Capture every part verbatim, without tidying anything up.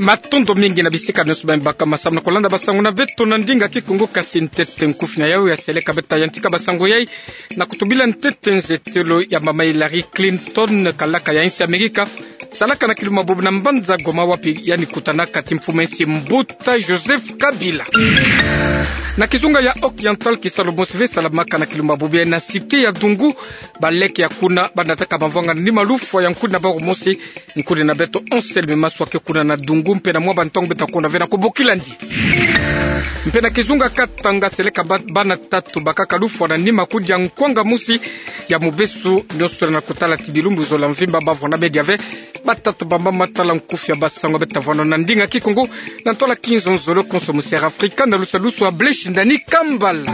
Matondo mingi na bisika nyonso bima baka masamu na kolanda basango na beto na ndinga Kikongo. Kasi ntete nkufi na yau ya seleka, beta yantika basango yai na kutubila ntete nzetelo ya mama Hillary Clinton, kalaka ya insi Amerika, salaka na kilumbu ya bobo na mbanza Goma, wapi yandi kutanaka ti mfumu ya insi Mbuta Joseph Kabila. Na kizunga ya Occidental, kisalu mosi ve salamaka na kilumbu ya bobo na cité ya Dungu. Baleke ya kuna banataka bamvwanga na nima lufwa ya nkudi na bawu mosi. Nkudi na beto Anselme Maswa ke kuna na Dungu, mpe na mwa bantangu beta kuna ve na kubokila ndi. Mpe na kizunga Katanga, seleka ba-, bana tatu bakaka lufwa na nima kudi ya nkwanga mosi ya mubesu, nyonso na kutala ti bilumbu zola mvimba bavwanda media ve. Batatu bamba matala nkufi ya basango beta vwanda na ndinga Kikongo, na ntola kinzonzolo konso mu Sierra Africa, na lusadusu ya Blaise Ndani Kambala.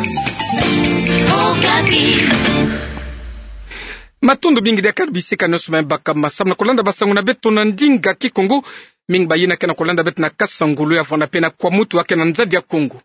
Matondo mingi diaka na bisika nyonso bima baka masamu na kolanda basango na beto na ndinga Kikongo. Mingi bayina ke na kolanda beto na Kasangulu, ya vwanda mpe na Kwamouth, wa ke na nzadi ya Kongo.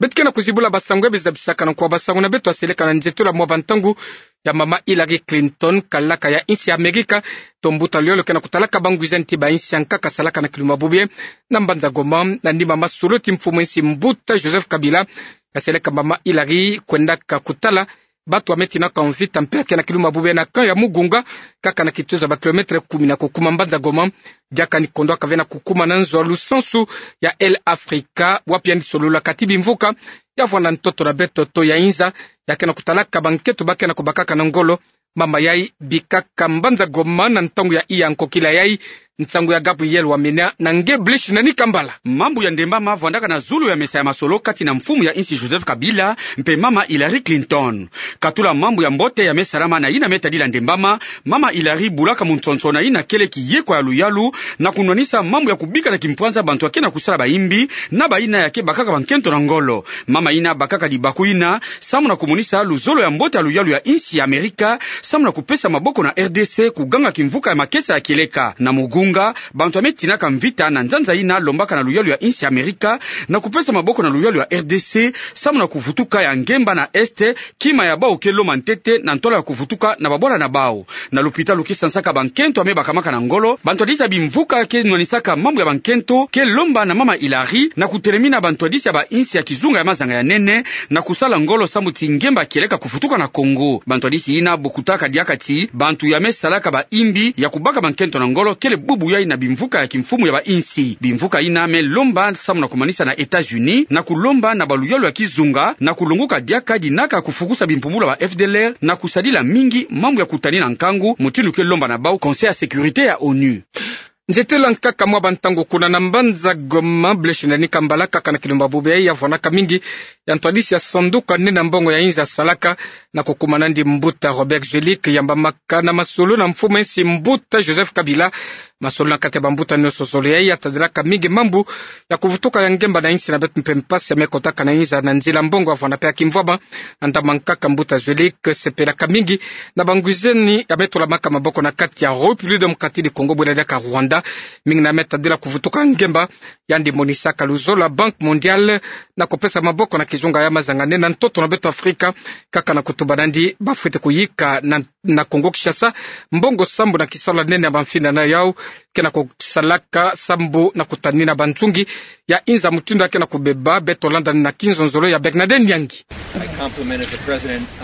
Beto ke na kuzibula basango ya bizabisaka na nkwa basango na beto ya seleka na nzetelo ya mwa bantangu ya mama Hillary Clinton, kalaka ya insi Amerika, to mbuta luyolo ke na kutalaka bangwizani ti bainsi ya nkaka, salaka na kilumbu ya bobo na mbanza Goma, na nima masolo ti mfumu ya insi Mbuta Joseph Kabila, ya seleka mama Hillary kwendaka kutala bantu ya me tinaka mvita, mpe ya ke na kilumbu ya bobo na camp ya Mugunga, kaka na kituza ba kilomètre kumi na kukuma mbanza Goma. Diaka ni kondwaka ve na kukuma na nzo ya lusansu ya Air Africa, wapi yandi sololaka ti bimvuka, ya vwanda ntoto na beto to ya inza, ya ke na kutalaka bankento ba ke na kubakaka na ngolo. Mama yai bikaka mbanza Goma na ntangu ya iya nkokila yai. Nsangu ya Gabriel Wamena na nge Blaise Ndani Kambala. Mambu ya ndembama vwandaka na zulu ya mesa ya masolo kati na mfumu ya insi Joseph Kabila mpe mama Hillary Clinton. Katula mambu ya mbote ya me salama na yina me tadila ndembama, mama Hillary bulaka munsonso na yina kele kiyekwa ya luyalu na kunwanisa mambu ya kubika na kimpwanza bantu ya ke na kusala bayimbi na bayina ya ke bakaka bankento na ngolo. Mama yina bakaka libaku yina samu na kumonisa luzolo ya mbote ya luyalu ya insi ya Amerika, samu na kupesa maboko na R D C kuganga kimvuka ya makesa ya kieleka. Na Mugunga, bantu ya me tinaka mvita na nzanza yina lombaka na luyalu ya insi ya Amerika na kupesa maboko na luyalu ya R D C samu na kuvutuka ya ngemba na Est, kima ya bawu ke lomba ntete na ntola ya kuvutuka na babwala na bawu. Na lupitalu ke sansaka bankento ya me bakamaka na ngolo, bantwadisi ya bimvuka ke nwanisaka mambu ya bankento ke lomba na mama Hillary na kutelemina bantwadisi ya bainsi ya kizunga ya mazanga ya nene na kusala ngolo samu ti ngemba kieleka kuvutuka na Congo. Bantwadisi yina bokutaka diaka ti bantu ya me salaka bayimbi ya kubaka bankento na ngolo kele bubu yai na bimvuka ya kimfumu ya bainsi. Bimvuka yina me lomba samu na kumanisa na États-Unis na kulomba na baluyalu ya kizunga na kulonguka diaka dinaka kufukusa bimpumbulu ya ba F D L R na kusadila mingi mambu ya kutanina nkangu, mutindu ke lomba na bawu Conseil ya Sécurité ya ONU. Nzetelo ya nkaka mwa bantangu kuna na mbanza Goma, Blaise Ndani Kambala, kaka na kilumbu ya bobo ya vwanaka mingi ya ntwadisi ya sanduku ya nene ya mbongo ya inza salaka na kukumana ndi mbuta Robert Zuelick, yambamaka na masolo na mfumu ya insi Mbuta Joseph Kabila. Masolo na kati ya bambuta nyonso zole yai ya tadilaka mingi mambu ya kuvutuka ya ngemba na insi na beto mpe mpasi ya me kotaka na inza na nzila mbongo ya vwanda mpe ya kimvwama. Na ndambu ya nkaka, mbuta Zuelick sepelaka mingi na bangwizani ya me tolamaka maboko na kati ya République démocratique du Congo, bwena diaka Rwanda, mingi na me tadila kuvutuka ya ngemba. Yandi monisaka luzolo ya Banque Mondiale na kupesa maboko na kizunga ya mazanga nene na ntoto na beto Afrika, kaka na kutuba na ndi bafwete kuyika na, na Congo Kinshasa mbongo sambu na kisalu ya nene ya bamfinda na yawu ke na kusalaka sambu na kutanina banzungi ya inza mutindu ya ke na kubeba. Beto landa na kinzonzolo ya Bernadette Nyangi.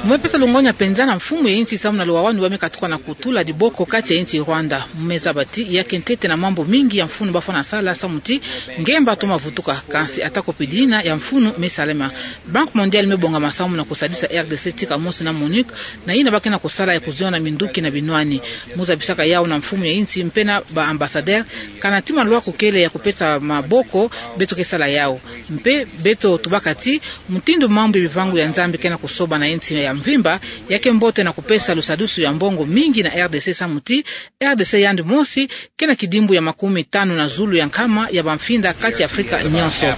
Mu me pesa longonya mpenza na mfumu ya insi samu na luwawanu ba me katuka na kutula diboko kati ya insi Rwanda. Mu me zaba ti ya ke ntete na mambu mingi ya mfunu bafwana sala samu ti ngemba toma vutuka, kansi ata ko pidi yina ya mfunu me salama. Banque Mondiale me bongama samu na kusadisa R D C tika mosi na MONUC, na yina ba ke na kusala ya kuziona minduki na binwani. Mu zabisaka yawu na mfumu ya insi mpe na ba ambassadeur, kana ti malwa kukele ya kupesa maboko, beto ke sala yawu. Mpe beto tubaka ti mutindu mambu ya bivangu ya Nzambi ke na kusoba na insi ya mvimba, ya ke mbote na kupesa lusadusu ya mbongo mingi na R D C samu ti R D C yandi mosi ke na kidimbu ya makumi tanu na zulu ya nkama ya bamfinda kati ya Afrika nyonso.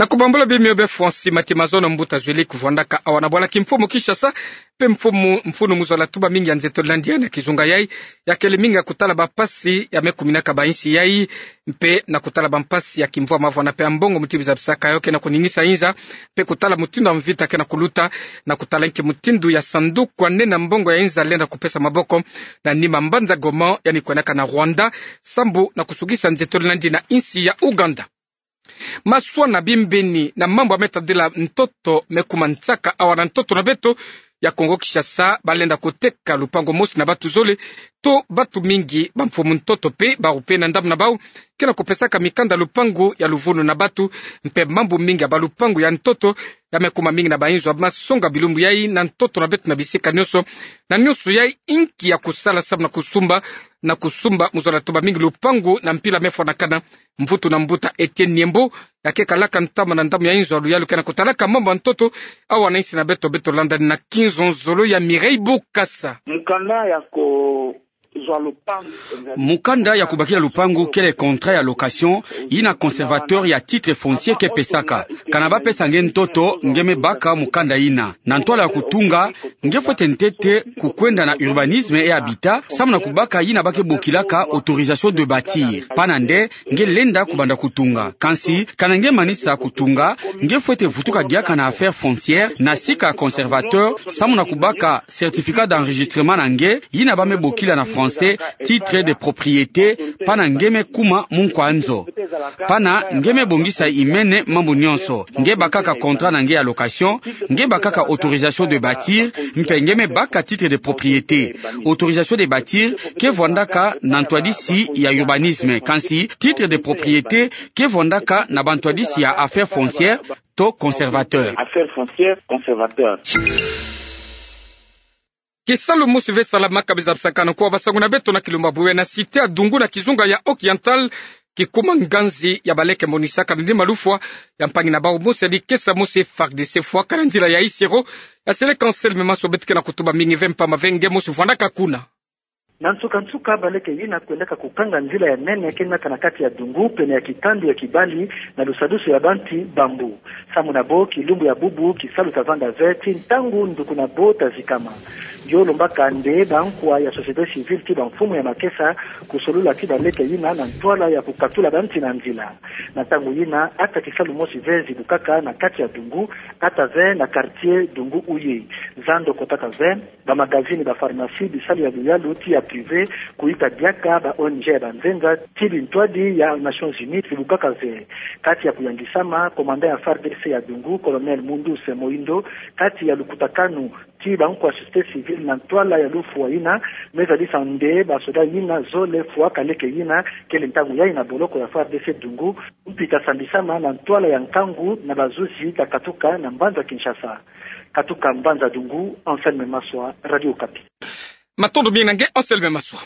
Na kubambula bimio be Francis Mati Mazono, mbuta Zweli, kuvwandaka awa na bwala kimfumu Kinshasa, mpe mfumu, mfunu mu zola tuba mingi ya nzeto landi ya na kizunga yai, yakele mingi ya kutala bampasi ya me kuminaka ba insi yai, mpe na kutala bampasi ya kimvwama vwana mpe ya mbongo mutindu zabisaka yo ke na kuningisa inza, mpe kutala mutindu ya mvita ke na kuluta, na kutala nki mutindu ya sanduku ya nene ya mbongo ya inza lenda kupesa maboko na nima mbanza Goma, yandi kwenaka na Rwanda, sambu na kusukisa nzeto landi na insi ya Uganda. Maswa na bimbini na mambu ya me tadila ntoto me kuma nsaka awa na ntoto na beto ya Kongo Kinshasa, balenda kuteka lupangu mosi na batu zole to batu mingi, bamfumu ntoto mpe bawu mpe na ndambu na bawu ke na kupesaka mikanda lupangu ya luvunu na batu, mpe mambu mingi ya balupangu ya ntoto ya me kuma mingi na bayinzo ya masonga bilumbu yai na ntoto na beto na bisika nionso. Na nionso yai, nki ya kusala sambu na kusumba, na kusumba mu zola tuba mingi lupangu na mpila me fwanakana? Mvutu na mbuta Etienne Niembo, ya ke kalaka ntama na ndambu ya inzo ya luyalu ke na kutalaka mambu ya ntoto awa na insi na beto. Beto landa na kinzonzolo ya Mireille Bukasa. Mukanda ya ko Mukanda ya kubakila lupangu kele contrat ya location yina conservateur ya titre foncier ke pesaka. Kana bapesa nge ntoto, nge me baka mukanda yina. Na ntwala ya kutunga, nge fwete ntete kukwenda na urbanisme et habitat, sambu na kubaka yina ba ke bokilaka autorisation de bâtir. Pana nde, nge lenda kubanda kutunga. Kansi, kana nge manisa kutunga, nge fwete vutuka diaka na affaires foncières, na sika conservateur, sambu na kubaka certificat d'enregistrement na nge, yina ba me bokila na français titre de propriété, pana nge me kuma munkwa nzo. Pana nge me bongisa imene mambu nionso. Nge bakaka contrat na nge ya location, nge bakaka autorisation de bâtir, mpe nge me baka titre de propriété. Autorisation de bâtir ke vwandaka na ntwadisi ya urbanisme, kansi titre de propriété ke vwandaka na bantwadisi ya affaires foncières to conservateur. Affaires foncières, conservateur. Kisalu mosi ve salamaka, bizabisakana kwa basangu na beto na kilumbu bubu na cité ya Dungu na kizunga ya Occidental, kikuma nganzi ya baleke monisaka na nima lufwa ya mpangi na bawu mosi ya dikesa mosi FARDC fwaka na nzila ya Isiro. Ya seleka Anselme Maswa, beto ke na kutuba mingi ve mpamba ve nge mosi vwandaka kuna. Na nsuka-nsuka, baleke yina kwendaka kukanga nzila ya nene ke naka na kati ya Dungu, pene ya kitandu ya kibali na lusadusu ya banti bambu. Samu na bo, kilumbu ya bubu kisalu ta vanda ve ti ntangu nduku na bo ta zikama. Yo lombaka nde bankwa ya société civile ti bamfumu ya makesa kusolula ti baleke yina na ntwala ya kukatula banti na nzila. Na ntangu yina, ata kisalu mosi ve zibukaka na kati ya Dungu, ata ve na quartier Dungu Uye. Zando kotaka ve, bamagazini, bapharmacie, bisalu ya luyalu ti ya privé, kuyika diaka ba ONG ya banzenza ti bintwadi ya Nations Unies bibukaka ve. Kati ya kuyangisama, commandant ya FARDC ya Dungu, colonel Munduse Moindo, kati ya lukutakanu ti bankwa société civile na ntwala ya lufwa yina, me zadisa nde basoda yina zole fwaka leke yina, kele ntangu yayi na boloko ya FARDC Dungu, mpi ta sambisama na ntwala ya nkangu na bazuzi ta katuka na mbanza Kinshasa. Katuka mbanza Dungu, Anselme Maswa, Radio Okapi. Matondo mingi na nge, Anselme Maswa.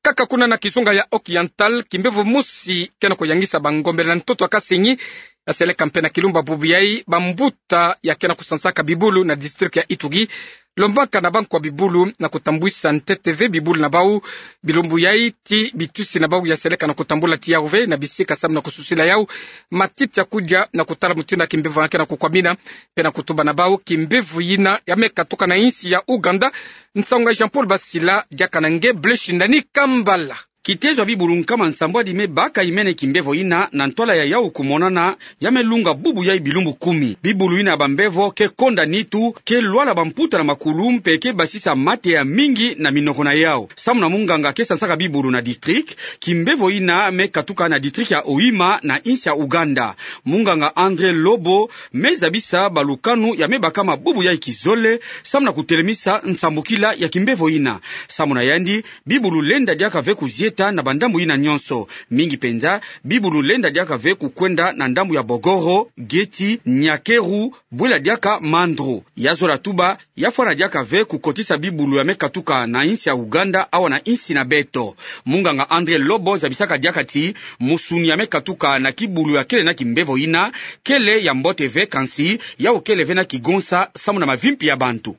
Kaka kuna na kizunga ya Occidental, kimbevo mosi ke na kuyangisa bangombele na ntoto ya kasingi, ya seleka mpe na kilumbu bubu yayi bambuta ya ke na kusansaka bibulu na district ya Ituri, lombaka na bankwa bibulu na kutambwisa ntete ve bibulu na bawu, bilumbu yayi ti bitwisi na bawu ya seleka na kutambula ti yawu ve na bisika samu na kususila yawu matiti ya kudia na kutala mutindu ya kimbevo ya ke na kukwamina, mpe na kutuba na bawu kimbevo yina ya me katuka na insi ya Uganda. Nsangu ya Jean-Paul Basila, diaka na nge Blaise Shindani Kambala. Kitezo ya bibulu nkama nsambwadi me baka imene kimbevo yina na ntwala ya yawu kumonana ya me lunga bubu yayi bilumbu kumi. Bibulu yina ya bambevo ke konda nitu, ke lwala bamputa na makulu mpe ke basisa mate ya mingi na minoko na yawu. Samu na munganga ke sansaka bibulu na district, kimbevo yina me katuka na district ya Hoima na insi ya Uganda. Munganga André Lobo me zabisa balukanu ya me bakama bubu yayi kizole, samu na kutelemisa nsambukila ya kimbevo yina. Samu na yandi, bibulu lenda diaka ve kuzieta na bandambu yina nionso. Mingi penza, bibulu lenda diaka ve kukwenda na ndambu ya Bogoro, Geti, Nyakeru, bwela diaka Mandro. Ya zola tuba, ya fwana diaka ve kukotisa bibulu ya me katuka na insi ya Uganda awa na insi na beto. Munganga André Lobo zabisaka diaka ti musuni ya me katuka na kibulu ya kele na kimbevo yina kele ya mbote ve, kansi yawu kele ve na kigonsa samu na mavimpi ya bantu.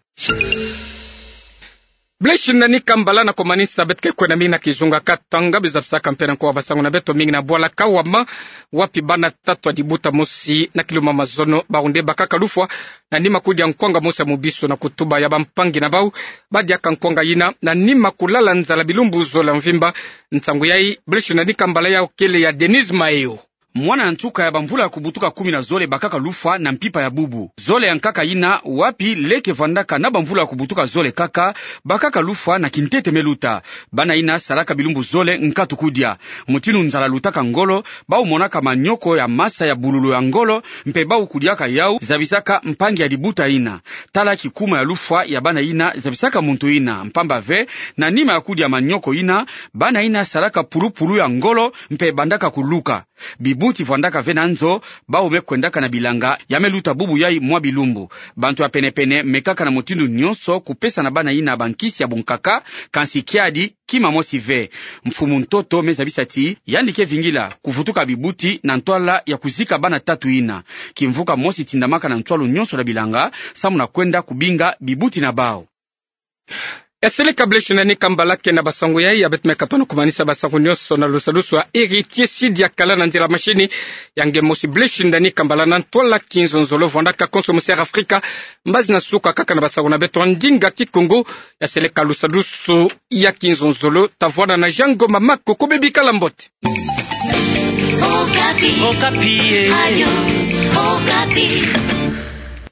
Blaise Nani Kambala, na komanisa beto ke kwenda mingi na kizunga Katanga, bie zabisaka mpe na nkowa basangu na beto mingi na bwala Kawama, wapi bana tatu ya libuta mosi na kiluma mazono bawu nde bakaka lufwa na nima kudia nkwanga mosi ya mubisu na kutuba ya bampangi na bawu badiaka nkwanga yina na nima kulala nzala bilumbu zole ya mvimba. Nsangu yayi, Blaise Nani Kambala, yawu kele ya Denise Mayo. Mwana ya nsuka ya bamvula ya kubutuka kumi na zole bakaka lufwa na mpimpa ya bubu. Zole ya nkaka yina, wapi leke vwandaka na bamvula ya kubutuka zole kaka, bakaka lufwa na kintete me luta. Bana yina salaka bilumbu zole nkatu kudia. Mutindu nzala lutaka ngolo, bawu monaka manioko ya masa ya bululu ya ngolo, mpe bawu kudiaka yawu, zabisaka mpangi ya libuta yina. Tala kikuma ya lufwa ya bana yina zabisaka muntu yina, mpamba ve, na nima ya kudia manioko yina, bana yina salaka pulupulu ya ngolo, mpe bandaka kuluka. Bibuti vwandaka ve na nzo, bawu me kwendaka na bilanga, ya me luta bubu yayi mwa bilumbu. Bantu ya penepene mekaka na mutindu nyonso kupesa na bana yina bankisi ya bunkaka, kansi kiadi, kima mosi ve. Mfumu ntoto me zabisa ti, yandi ke vingila kuvutuka bibuti na ntwala ya kuzika bana tatu yina. Kimvuka mosi tindamaka na ntwalu nyonso na bilanga, samu na kwenda kubinga bibuti na bawu. Ya seleka Blaise Nani Kambala ke na basangu yayi, ya beto me katono kumanisa basangu nyonso na lusadusu ya Héritier Sidi ya kala na nzila machine, ya nge mosi Blaise Nani Kambala na ntwala Kinzonzolo, vwandaka konso musi ya Afrika. Mbazi na suka kaka na basangu na beto ndinga Kikongo, ya seleka lusadusu ya Kinzonzolo, ta vwanda na Jean Ngoma Makoko, bebi kala mbote. Okapi. Okapi, eh. Radio Okapi.